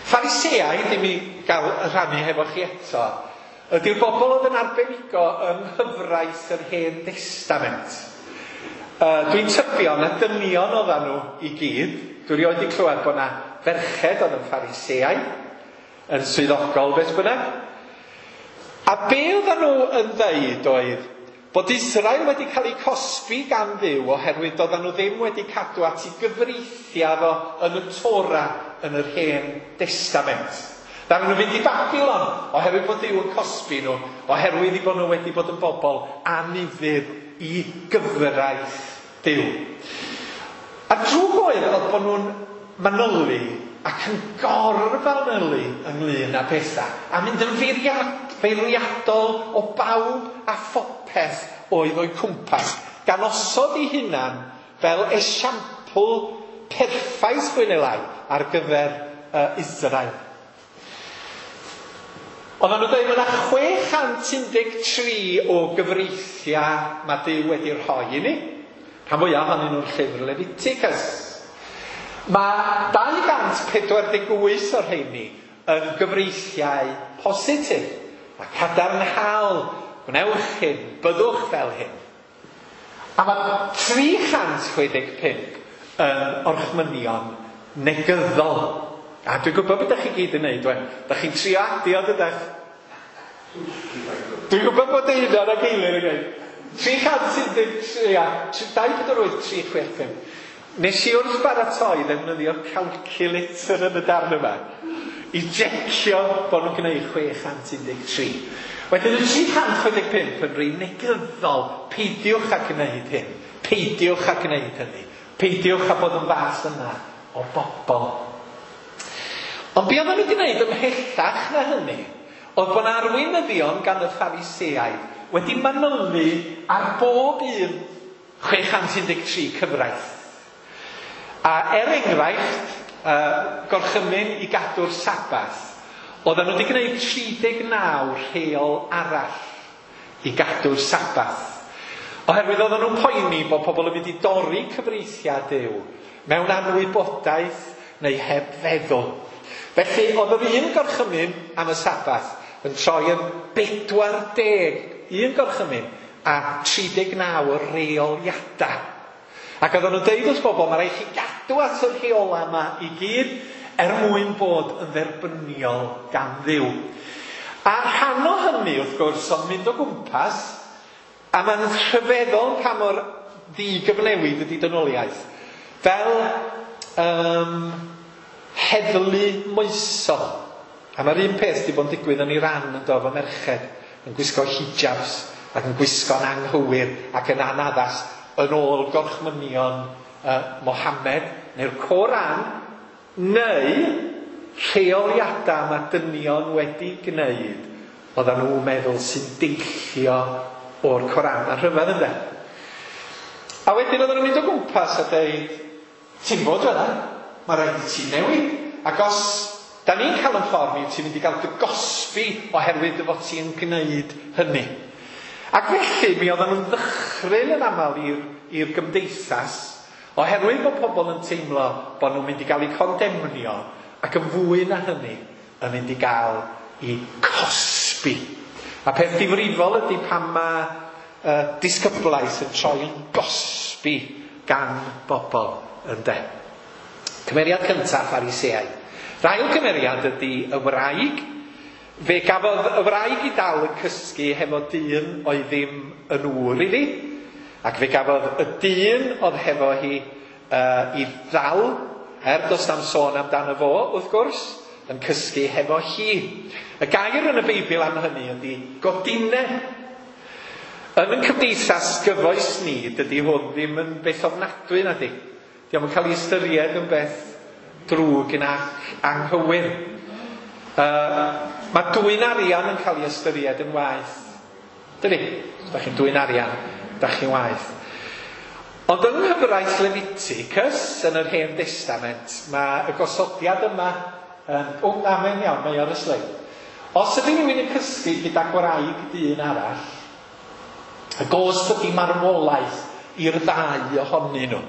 Phariseaid, i mi gael rhannu hefo chi eto, ydy'r bobl oedd yn arbenigo yng nghyfraith yr Hen Destament. Dwi'n tybio na dynion oedden nhw i gyd. Dwi erioed wedi clywed bod na ferched oedd yn Phariseaid, yn swyddogol beth bynnag. A be oedden nhw yn ddeud oedd bod Israel wedi cael eu cosbi gan Dduw oherwydd doedden nhw ddim wedi cadw at ei gyfreithiau fo yn y Torah yn yr Hen Destament. Ddaru nhw fynd i Babilon oherwydd bod Duw yn cosbi nhw, oherwydd i bod nhw wedi bod yn bobl anufudd i gyfraith Duw. A drwg oedd bod nhw'n manylu ac yn gorfanylu ynglyn â pethau, a mynd yn feirniadol o bawb a phopeth oedd o'u cwmpas, gan osod ei hunan fel esiampl perffaith fwy neu lai ar gyfer Israel. Oedden nhw'n dweud, mae yna 613 o gyfreithiau mae Duw wedi rhoi i ni. Rhan fwyaf ohonyn nhw'n llyfr Leviticus. Mae 248 o'r rheini yn gyfreithiau positif a cadarnhaol. Gwnewch hyn, byddwch fel hyn. A mae 365 yn orchmynion negyddol. A dwi'n gwybod beth ydych chi gyd yn neud, wen. Dach chi'n trio adio, dydach? Dwi'n gwybod bod Einar ac Eilir yn gweud. 313, ia, 248, 365. Nes i wrth baratoi ddefnyddio calculator yn y darn yma i jecio bod nhw'n gwneud 613. Wedyn y 365 yn rhy negyddol, peidiwch â gwneud hyn, peidiwch â gwneud hynny, peidiwch â bod yn fath yna o bobl. Ond be oedden nhw wedi gwneud ymhellach na hynny, oedd bod arweinyddion gan y Phariseaid wedi manylu ar bob un 613 cyfraith. A er enghraifft, gorchymyn i gadw'r Sabath, oedden nhw wedi gwneud 39 rheol arall i gadw'r Sabath. Oherwydd oedden nhw'n poeni bod pobl yn mynd i dorri cyfreithiau Duw mewn anwybodaeth neu heb feddwl. Felly oedd yr un gorchymyn am y Sabath yn troi yn 41 gorchymyn a 39 o reoliadau. Ac oedden nhw'n deud wrth bobl, mae rhaid chi gadw at y rheolau yma i gyd er mwyn bod yn dderbyniol gan Dduw. A rhan o hynny, wrth gwrs, oedd mynd o gwmpas, a mae'n rhyfeddol pa mor ddigyfnewid ydy dynoliaeth. Fel heddlu moesol. A mae'r un peth wedi bod yn digwydd yn Iran yn do, efo merched yn gwisgo hijabs ac yn gwisgo'n anghywir ac yn anaddas yn ôl gorchmynion Mohammed neu'r Coran neu rheoliadau mae dynion wedi gwneud oedden nhw'n meddwl sy'n deillio o'r Coran. Mae'n rhyfedd ynde? A wedyn oedden nhw'n mynd o gwmpas a deud, ti'n bod fel yna, mae rhaid i ti newid. Ac os da ni'n cael yn ffordd ni, ti'n mynd i gael dy gosbi oherwydd dy fod ti'n gwneud hynny. Ac felly mi oedden nhw'n ddychryn yn aml i'r gymdeithas oherwydd bod pobl yn teimlo bod nhw'n mynd i gael eu condemnio ac yn fwy na hynny yn mynd i gael eu cosbi. A peth difrifol ydy pan mae disgyblaeth yn troi yn gosbi gan bobl ynde. Cymeriad cyntaf Phariseaid. Yr ail cymeriad ydy y wraig. Fe gafodd y wraig i dal yn cysgu hefo dyn oedd ddim yn ŵr iddi, ac fe gafodd y dyn oedd hefo hi i ddal, er does na'm sôn amdano fo, wrth gwrs, yn cysgu hefo hi. Y gair yn y Beibl am hynny ydy godineb. Yn ein cymdeithas gyfoes ni, dydy hwn ddim yn beth ofnadwy, nadi. Dio'm yn cael ei ystyried yn beth drwg ac anghywir. Mae dwyn arian yn cael ei ystyried yn waeth. Dydy? Os da chi'n dwyn arian, da chi'n waeth. Ond yng nghyfraith Leviticus, yn yr Hen Testament, mae y gosodiad yma yn... O, na, mae'n iawn, mae ar y sleid. Os ydy rhywun yn cysgu gyda gwraig dyn arall, y gosb ydy marwolaeth i'r ddau ohonyn nhw.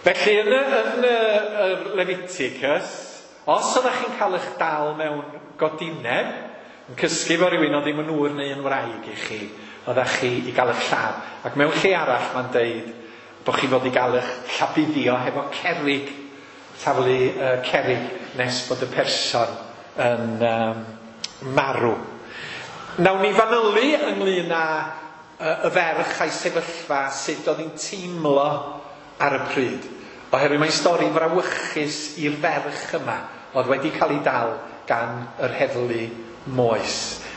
Felly yn y Leviticus, os ydych chi'n cael eich dal mewn godineb, yn cysgu efo rhywun oedd ddim yn ŵr neu yn wraig i chi, oeddech chi i gael eich lladd. Ac mewn lle arall mae'n deud bod chi fod i gael eich llabuddio hefo cerrig, taflu cerrig nes bod y person yn marw. Nawn ni fanylu ynglyn â y ferch a'i sefyllfa, sut oedd hi'n teimlo ar y pryd. Oherwydd mae'n stori frawychus i'r ferch yma oedd wedi cael ei dal gan yr heddlu moes.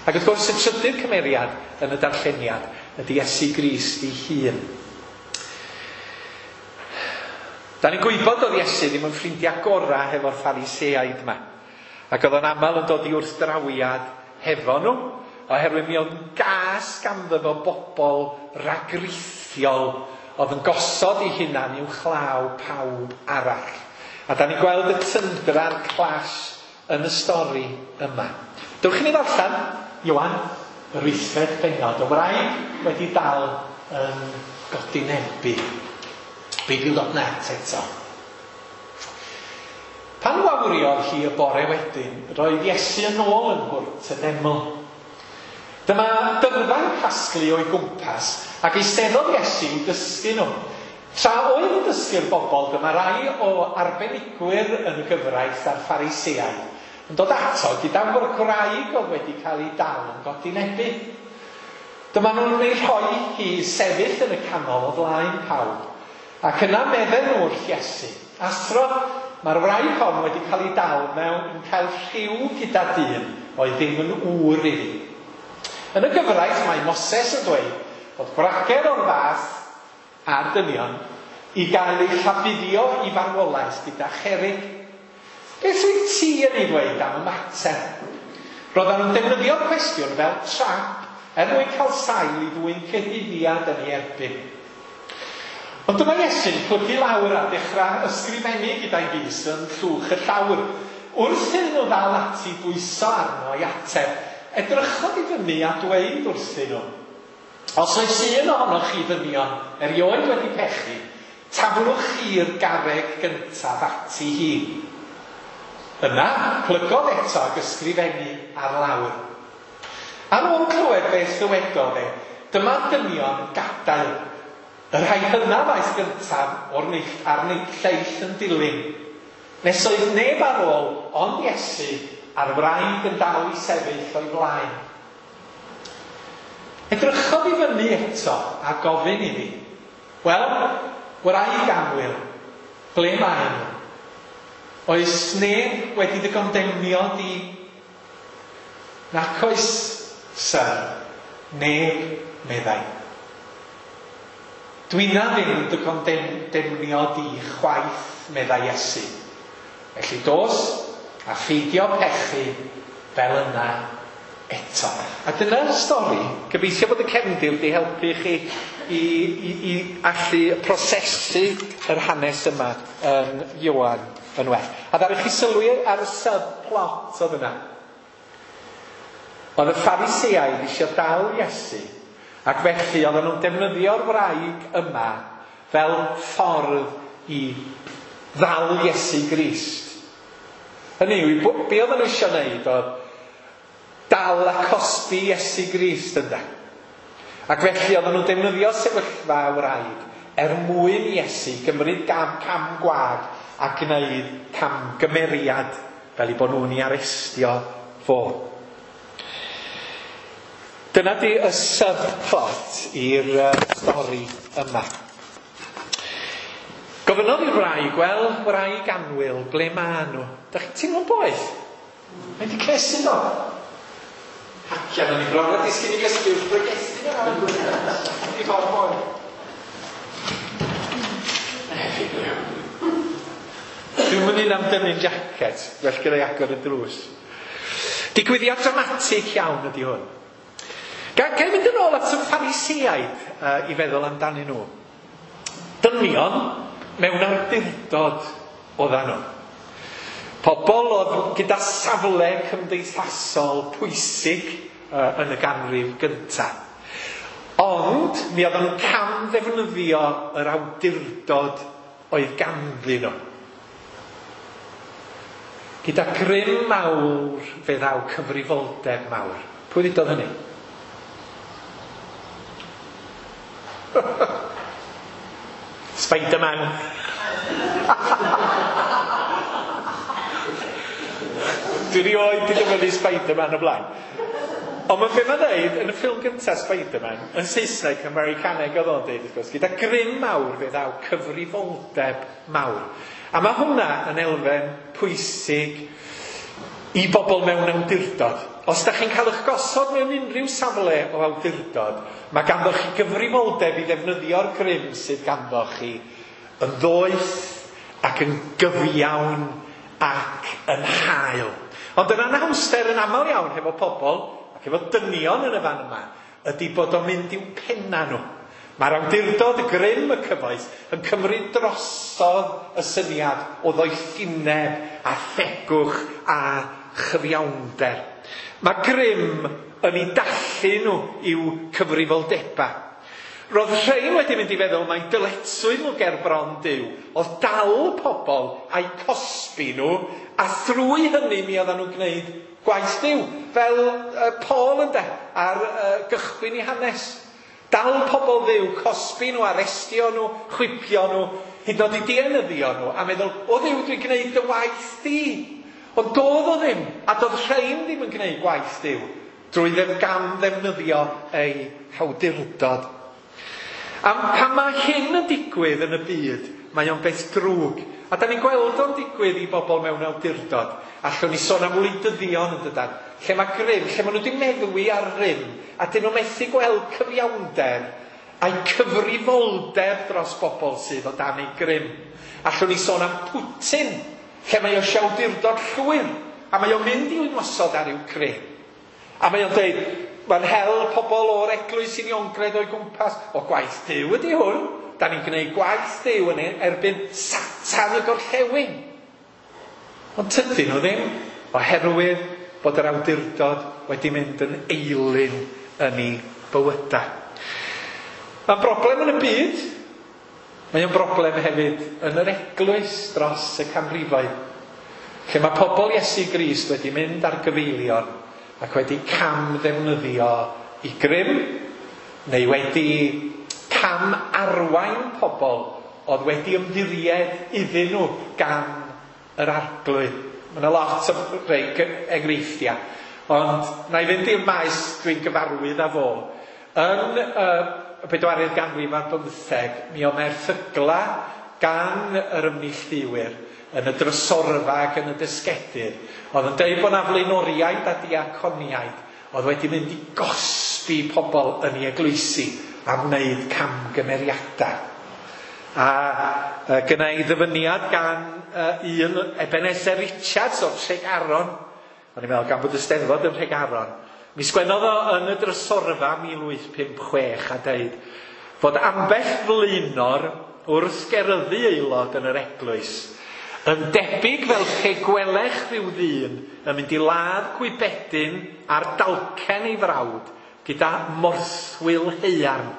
Ac wrth gwrs y trydydd cymeriad yn y darlleniad ydy Iesu Grist ei hun. Da ni'n gwybod oedd Iesu ddim yn ffrindiau gorau hefo'r Phariseaid yma. Ac oedd o'n aml yn dod i wrthdrawiad hefo nhw, oherwydd mi oedd yn gas ganddo fo bobl ragrithiol oedd yn gosod ei hunan i'w chlaw pawb arall. A da ni'n gweld y tyndra'r clash yn y stori yma. Dewch i ni ddarllen, Ioan, yr 8fed bennod, y wraig wedi dal yn godinebu. Beibl.net eto. Pan wawriodd hi y bore wedyn, roedd Iesu yn ôl yn hwrt y deml. Dyma dyrfa'n casglu o'i gwmpas, ac eisteddodd Iesu i'w dysgu nhw. Tra oedd yn dysgu'r bobl, dyma rai o arbenigwyr yn y gyfraith a'r Phariseaid yn dod ato gyda gwraig oedd wedi cael ei dal yn godinebu. Dyma nhw'n ei rhoi hi sefyll yn y canol o flaen pawb, ac yna medden nhw wrth Iesu, Athro, mae'r wraig hon wedi cael ei dal mewn yn cael rhyw gyda dyn oedd ddim yn ŵr iddi. Yn y gyfraith mae Moses yn dweud bod gwragedd o'r fath a'r dynion i gael eu llabuddio i farwolaeth gyda cherig. Beth wyt ti yn ei ddweud am y mater? Roedden nhw'n defnyddio'r cwestiwn fel trap er mwyn cael sail i ddwyn cyhuddiad yn ei erbyn. Ond dyma Iesu'n plygu lawr a dechrau ysgrifennu gyda'i fys yn llwch y llawr. Wrth iddyn nhw ddal ati bwyso arno i ateb, edrychodd i fyny a dweud wrthyn nhw, Os oes un ohonoch chi ddynion erioed wedi pechu, taflwch chi'r garreg gyntaf ati hi. Yna, plygodd eto ac ysgrifennu ar lawr. Ar ôl clywed beth ddywedodd e, dyma dynion yn gadael. Y rhai hynaf aeth gyntaf o'r neill, a'r lleill yn dilyn. Nes oedd neb ar ôl ond Iesu a'r wraig yn dal i sefyll o'i flaen. Edrychodd i fyny eto a gofyn iddi, Wel, wraig annwyl, ble maen nhw? Oes neb wedi dy gondemnio di? Nac oes, syr, neb, meddai. Dwina ddim yn dy gondemnio di chwaith, meddai Iesu. Felly dos a pheidio pechu fel yna eto. A dyna'r stori. Gobeithio bod y cefndir wedi helpu chi i, i, i allu prosesu yr hanes yma yn Ioan yn well. A ddaru chi sylwi ar y subplot oedd yna. Oedd y Phariseaid eisiau dal Iesu, ac felly oedden nhw'n defnyddio'r wraig yma fel ffordd i ddal Iesu Grist. Hynny yw, be oedden nhw eisiau gwneud oedd dal a cosbi Iesu Grist ynde. Ac felly oedden nhw'n defnyddio sefyllfa wraig er mwyn Iesu gymryd gam, cam gwag a gwneud camgymeriad fel i bod nhw'n ei arestio fo. Dyna di y subplot i'r stori yma. Gofynnodd i'r wraig, wel, wraig annwyl, ble ma nhw? Da chi'n teimlo'n boeth? Mae di cnesu do? Hacian, o'n i bron a disgyn i gysgu wrth bregethu yna. I fod boeth. Dwi'n mynd un am dynnu'n jacket, well gyda'i agor y drws. Digwyddiad dramatig iawn ydy hwn. Ga i fynd yn ôl at y Phariseaid i feddwl amdanyn nhw. Dynion mewn awdurdod oeddan nhw. Pobl oedd gyda safle cymdeithasol pwysig yn y ganrif gyntaf. Ond mi oedden nhw'n cam ddefnyddio yr awdurdod oedd ganddyn nhw. Gyda grym mawr fe ddaw cyfrifoldeb mawr. Pwy ddudodd hynny? Spider-Man. Dwi rioed wedi dyfynnu Spider-Man o blaen. Ond mae be mae'n dweud yn y ffilm gyntaf Spider-Man, yn Saesneg, Americaneg oedd o'n dweud, wrth gwrs, gyda grym mawr fe ddaw cyfrifoldeb mawr. A mae hwnna yn elfen pwysig i bobl mewn awdurdod. Os da chi'n cael eich gosod mewn unrhyw safle o awdurdod, mae ganddo chi gyfrifoldeb i ddefnyddio'r grym sydd ganddo chi yn ddoeth ac yn gyfiawn ac yn hael. Ond yr anhawster yn aml iawn hefo pobl, ac efo dynion yn y fan yma, ydy bod o'n mynd i'w penna nhw. Mae'r awdurdod, y grym, y cyfoeth yn cymryd drosodd y syniad o ddoethineb a thegwch a chyfiawnder. Mae grym yn ei dallu nhw i'w cyfrifoldebau. Roedd rhain wedi mynd i feddwl mai dyletswydd nhw ger bron Duw oedd dal pobl a'i cosbi nhw, a thrwy hynny mi oedden nhw'n gwneud gwaith Duw, fel Paul ynde, ar gychwyn i hanes. Dal pobl Dduw, cosbi nhw, arestio nhw, chwipio nhw, hyd yn oed i dienyddio nhw, a meddwl, o Dduw, dwi'n gwneud dy waith di. Ond doedd o ddim, a doedd rhain ddim yn gwneud gwaith Duw, drwy gam ddefnyddio ei hawdurdod. A pan mae hyn yn digwydd yn y byd, mae o'n beth drwg. A da ni'n gweld o'n digwydd i bobl mewn awdurdod. Allwn ni sôn am wleidyddion yn dydan. lle mae grym, lle maen nhw wedi meddwi ar rym, a dyn nhw methu gweld cyfiawnder a'i cyfrifoldeb dros bobl sydd o dan ei grym. Allwn ni sôn am Putin, lle mae o eisiau awdurdod llwyr, a mae o'n mynd i ymosod ar Ukraine. A mae o'n dweud, mae'n hel pobl o'r Eglwys Uniongred o'i gwmpas. O, gwaith Duw ydy hwn. Da ni'n gwneud gwaith Duw yn erbyn Satan y gorllewin. Ond tydyn nhw ddim, oherwydd bod yr awdurdod wedi mynd yn eilun yn ei bywydau. Mae'n broblem yn y byd. Mae o'n broblem hefyd yn yr eglwys dros y canrifoedd, lle mae pobl Iesu Grist wedi mynd ar gyfeilion ac wedi cam ddefnyddio i grym, neu wedi cam arwain pobl oedd wedi ymddiried iddyn nhw gan yr Arglwydd. Mae yna lot o rei enghreifftiau, ond na i fynd i'r maes dwi'n gyfarwydd â fo. Yn y bedwaredd ganrif ar bymtheg, mi oedd erthygla gan yr ymneilltuwyr yn y drysorfa ac yn y dysgedydd, oedd yn deud bod 'na flaenoriaid a diaconiaid oedd wedi mynd i gosbi pobl yn ei eglwysi am wneud camgymeriadau. A gynna i ddyfyniad gan un Ebenezer Richards o'r Tregaron. O'n i'n meddwl gan bod y Steddfod yn Nhregaron. Mi sgwennodd o yn y drysorfa 1856 a deud fod ambell flaenor wrth geryddu aelod yn yr eglwys yn debyg fel pe gwelech rhyw ddyn yn mynd i ladd gwybedyn ar dalcen ei frawd gyda morthwyl haearn.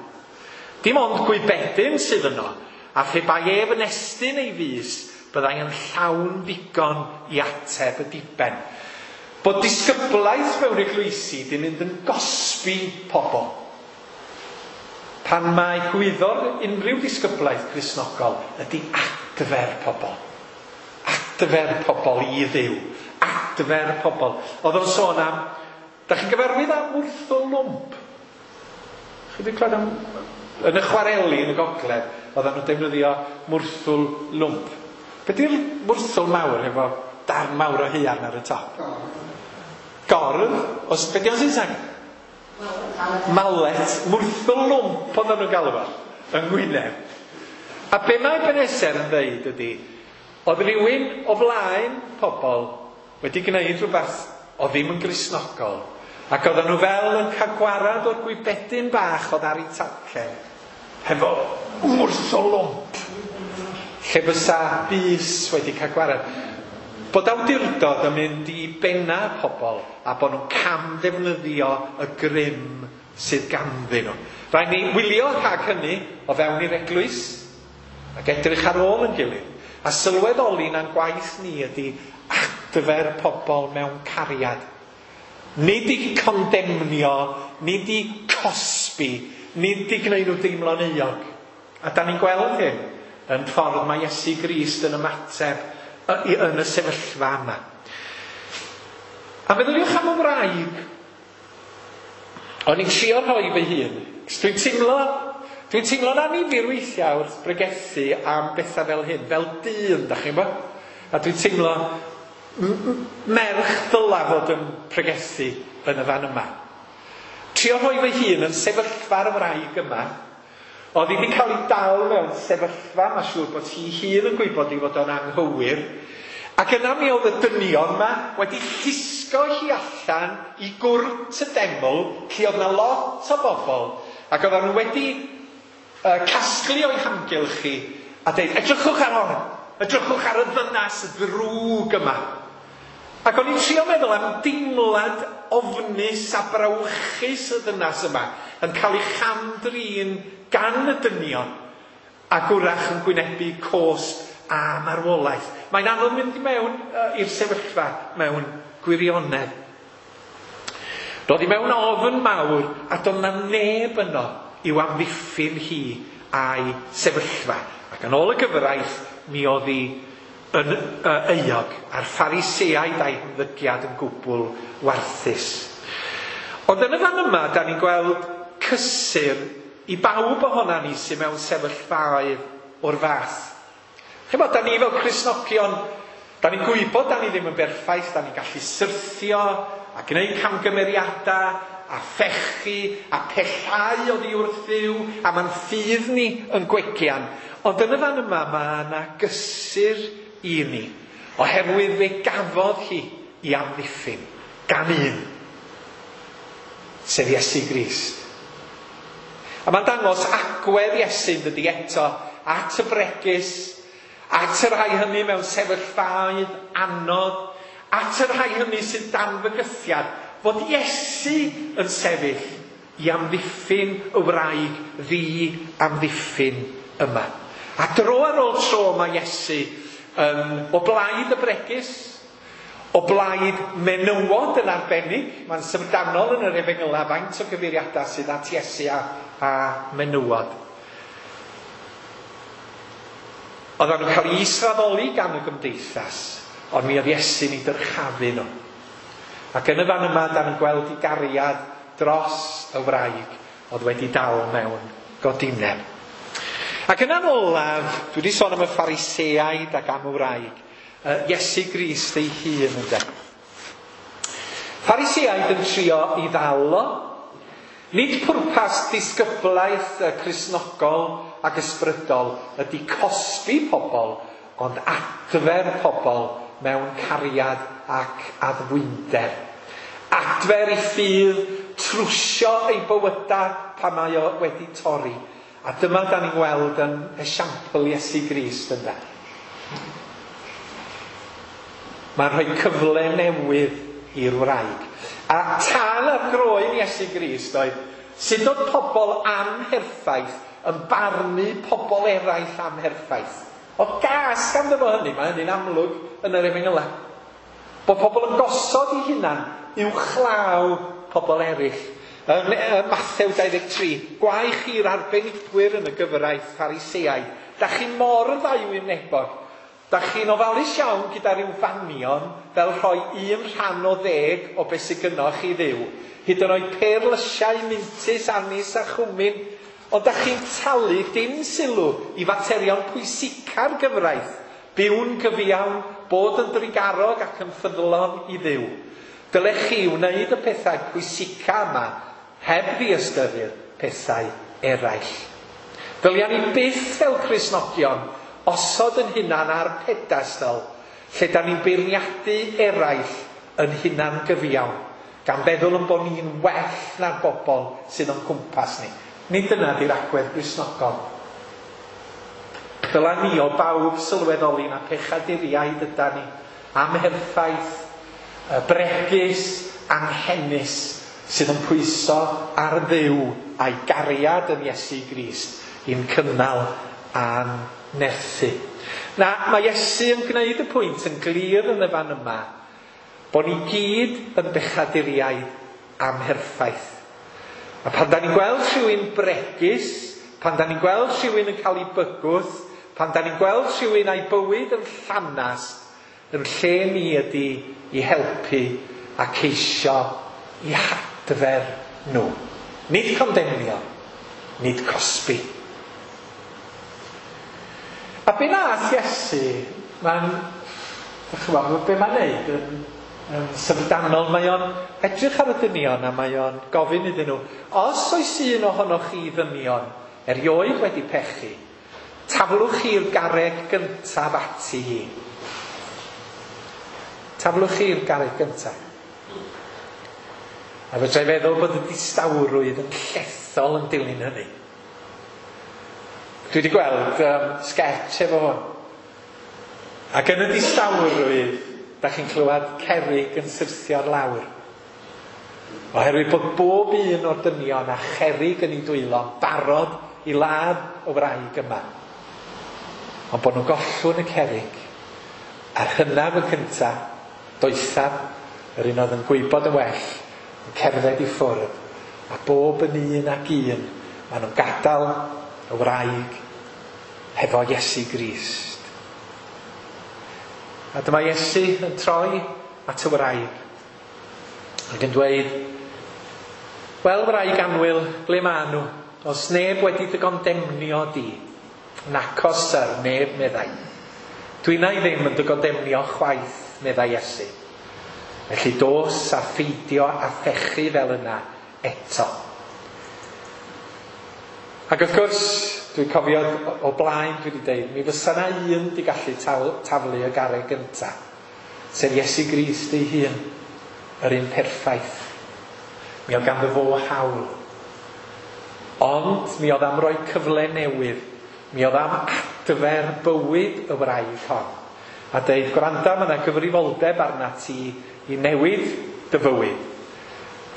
Dim ond gwybedyn sydd yno, a phe bai ef yn estyn ei fys, byddai yn llawn ddigon i ateb y diben. Bod disgyblaeth mewn eglwysi di mynd yn gosbi pobl. Pan mae gwyddor unrhyw disgyblaeth Cristnogol ydy adfer pobl. Adfer pobl i Dduw. Adfer pobl. Oedd o'n sôn am... Da chi'n gyfarwydd am wrthol lwmp? Chi wedi clywed am... Yn y chwareli yn y gogledd, oedden nhw'n defnyddio mwrthwl lwmp. Be di'r mwrthwl mawr efo darn mawr o haearn ar y top? Gordd. Os, be di o'n Saesneg? Mallet. Mwrthwl lwmp oedden nhw'n galw fo, yng Ngwynedd. A be mae Ebenezer yn dweud ydy, oedd rhywun o flaen pobl wedi gwneud rhywbeth o ddim yn Gristnogol, ac oedden nhw fel yn cael gwarad o'r gwybedyn bach oedd ar ei talcen, hefo mwrthwl lwmp, lle bysa bys wedi cael gwarad. Bod awdurdod yn mynd i benna pobl a bod nhw'n cam ddefnyddio y grym sydd ganddyn nhw. Rhaid ni wylio rhag hynny o fewn i'r eglwys ac edrych ar ôl yn gilydd. A sylweddoli na'n gwaith ni ydy adfer pobl mewn cariad. Nid i condemnio, nid i cosbi, nid i gwneud nhw deimlo'n euog. A da ni'n gweld hyn yn ffordd mae Iesu Grist yn ymateb yn y sefyllfa yma. A meddyliwch am y wraig. O'n i'n trio rhoi fy hun. Dwi'n teimlo'n annifyr weithiau wrth bregethu am bethau fel hyn, fel dyn, da chi'n gwybod? A dwi'n teimlo merch ddyla fod yn pregethu yn y fan yma. Trio rhoi fy hun yn sefyllfa'r wraig yma. Oedd hi wedi cael ei dal mewn sefyllfa, mae'n siŵr bod hi hun yn gwybod ei fod o'n anghywir. Ac yna mi oedd y dynion yma wedi llusgo hi allan i gwrt y deml, lle oedd yna lot o bobl, ac oedden nhw wedi casglu o'i hamgylch hi a dweud, edrychwch ar hon, edrychwch ar y ddynas ddrwg yma. Ac o'n i'n trio meddwl am deimlad ofnus a brawychus y ddynas yma yn cael ei chamdrin gan y dynion ac wrach yn gwynebu cosb a marwolaeth. Mae'n anodd mynd i mewn i'r sefyllfa mewn gwirionedd. Roedd hi mewn ofn mawr a doedd 'na neb yno i'w amddiffyn hi a'i sefyllfa. Ac yn ôl y gyfraith, mi oedd hi yn euog, a'r Phariseaid a'i hymddygiad yn gwbl warthus. Ond yn y fan yma, da ni'n gweld cysur i bawb ohona ni sydd mewn sefyllfaoedd o'r fath. Chimod, da ni fel Cristnogion Da ni'n gwybod da ni ddim yn berffaith, da ni'n gallu syrthio a gwneud camgymeriadau a phechu a pellhau oddi wrth Dduw, a ma'n ffydd ni yn gwegian. Ond yn y fan yma mae yna gysur i ni, oherwydd fe gafodd hi i amddiffyn gan un, sef Iesu Grist. A mae'n dangos agwedd Iesu, yn dydi, eto at y bregus, at y rhai hynny mewn sefyllfaoedd anodd, at y rhai hynny sydd dan fygythiad, fod Iesu yn sefyll i amddiffyn y wraig ddi amddiffyn yma. A dro ar ôl tro mae Iesu o blaid y bregus, o blaid menywod yn arbennig. Mae'n syfrdanol yn yr Efengylau faint o gyfeiriadau sydd at Iesu a menywod. Oedden nhw'n cael eu israddoli gan y gymdeithas, ond mi oedd Iesu'n eu dyrchafu nhw. Ac yn y fan yma, da ni'n gweld ei gariad dros y wraig oedd wedi dal mewn godineb. Ac yna'n olaf, dwi wedi sôn am y Phariseaid ac am y wraig, Iesu Grist ei hun, ynde. Phariseaid yn trio i ddal o. Nid pwrpas disgyblaeth Cristnogol ac ysbrydol ydy cosbi pobl, ond adfer pobl mewn cariad ac addfwynder. Adfer ei ffydd, trwsio ei bywydau pan mae o wedi torri. A dyma da ni'n gweld yn esiampl Iesu Grist, ynde. Mae'n rhoi cyfle newydd i'r wraig. A tân ar groen Iesu Grist oedd sut oedd pobl amherffaith yn barnu pobl eraill amherffaith. Oedd gas ganddo fo hynny, mae hynny'n amlwg yn yr Efengylau. Bod pobl yn gosod eu hunan uwchlaw pobl eraill. Yn Mathew 23, gwae chi'r arbenigwyr yn y gyfraith Phariseaid. Da chi mor ddauwynebog. Da chi'n ofalus iawn gyda rhyw fanion fel rhoi 1 rhan o 10 o beth sydd gynnoch chi Dduw. Hyd yn oed perlysiau, mintys, anis a chwmin. Ond da chi'n talu dim sylw i faterion pwysica'r gyfraith. Byw'n gyfiawn, bod yn drugarog ac yn ffyddlon i Dduw. Dylech chi wneud y pethau pwysica yma heb ddiystyru'r pethau eraill. Dylia ni byth fel Cristnogion osod yn hunan ar pedestal lle da ni'n beirniadu eraill yn hunan gyfiawn, gan feddwl yn bod ni'n well na'r bobl sydd o'n cwmpas ni. Nid dyna di'r agwedd Gristnogol. Dyla ni o bawb sylweddoli na pechaduriaid yda ni, amherffaith, bregus, anghenus, sydd yn pwyso ar Dduw a'i gariad yn Iesu Grist i'n cynnal a'n nerthu. Na, mae Iesu yn gwneud y pwynt yn glir yn y fan yma bod ni gyd yn bechaduriaid amherffaith. A pan da ni'n gweld rhywun bregus, pan da ni'n gweld rhywun yn cael ei bygwth, pan da ni'n gweld rhywun a'i bywyd yn llanast, yn lle ni ydy i helpu a ceisio i hadfer nhw. Nid condemnio, nid cosbi. A be nath Iesu, mae'n, ch'mod, be mae'n neud yn syfrdanol, mae o'n edrych ar y dynion a mae o'n gofyn iddyn nhw, os oes un ohonoch chi ddynion erioed wedi pechu, taflwch chi'r garreg gyntaf ati hi. Taflwch chi'r garreg gyntaf. A fedra i feddwl bod y distawrwydd yn llethol yn dilyn hynny. Dwi wedi gweld sketch efo hwn. Ac yn y distawrwydd, da chi'n clywed cerrig yn syrthio ar lawr. Oherwydd bod bob un o'r dynion a cherrig yn ei dwylo'n barod i ladd y wraig yma. Ond bod nhw'n gollwng y cerrig. A'r hynaf y cyntaf, doethaf, yr un oedd yn gwybod yn well, yn cerdded i ffwrdd. A bob yn un ac un, maen nhw'n gadael y wraig hefo Iesu Grist. A dyma Iesu yn troi at y wraig ac yn dweud, wel wraig annwyl, ble ma nhw? Os neb wedi dy gondemnio di? Nacos syr, neb, meddai. Dwi'na i ddim yn dy gondemnio chwaith, meddai Iesu. Felly dos a pheidio a phechu fel yna eto. Ac wrth gwrs, dwi'n cofio o blaen dwi wedi deud, mi fysa 'na un 'di gallu taflu y garreg gynta, sef Iesu Grist ei hun, yr un perffaith. Mi oedd ganddo fo hawl. Ond mi oedd am roi cyfle newydd, mi oedd am adfer bywyd y wraig hon. A deud, gwranda, mae yna gyfrifoldeb arnat ti i newid dy fywyd.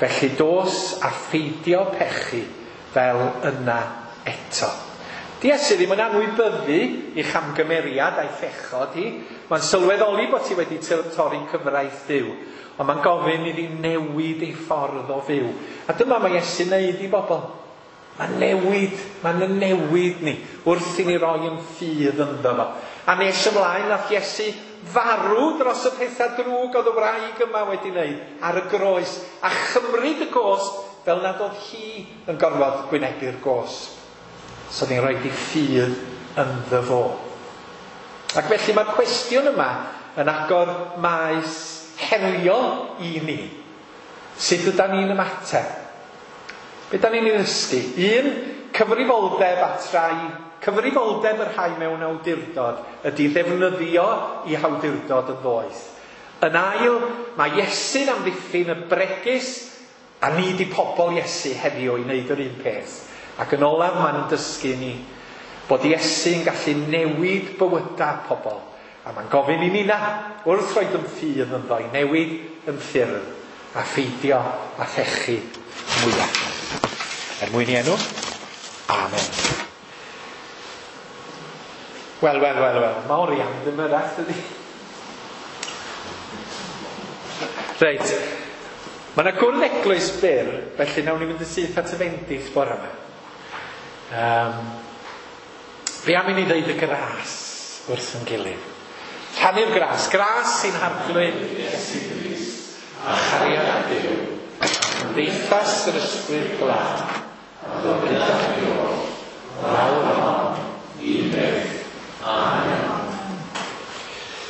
Felly dos a pheidio pechu fel yna eto. 'Di Iesu ddim yn anwybyddu ei chamgymeriad a'i phechod hi. Mae'n sylweddoli bod hi wedi torri cyfraith Duw. Ond mae'n gofyn iddi newid ei ffordd o fyw. A dyma mae Iesu'n neud i bobl. Mae'n newid, mae'n newid ni wrth i ni roi yn ffydd ynddo fo. A nes ymlaen nath Iesu farw dros y pethau drwg oedd y wraig yma wedi wneud ar y groes a chymryd y gosb fel nad oedd hi yn gorfod gwynebu'r gosb. So ni'n rhoi ei ffydd ynddo fo. Ac felly mae'r cwestiwn yma yn agor maes heriol i ni. Sut ydan ni'n ymateb? Be da ni'n ei ddysgu? Un, cyfrifoldeb at rai, cyfrifoldeb y rhai mewn awdurdod ydy ddefnyddio eu hawdurdod yn ddoeth. Yn ail, mae Iesu'n amddiffyn y bregus a ni 'di pobl Iesu heddiw i wneud yr un peth. Ac yn olaf, mae'n dysgu ni bod Iesu'n gallu newid bywydau pobl. A mae'n gofyn i ni na, wrth roed yn ffydd ynddo, i newid yn ffyrdd a pheidio a phechu mwyach. Er mwyn i enw, amen. Wel, wel, wel, wel, mae orian ddim yrach, dydy. Reit, mae yna gwrdd eglwys byr, felly nawn ni fynd yn syth at y fendith bore yma. Be am i ni ddeud y gras wrth yn gilydd? Rhannu'r gras, gras sy'n Harglwydd Iesu Grist, a chariad Duw, a chymdeithas yr Ysbryd Glân, a fod gyda chi oll, nawr a hon, i byth. Amen.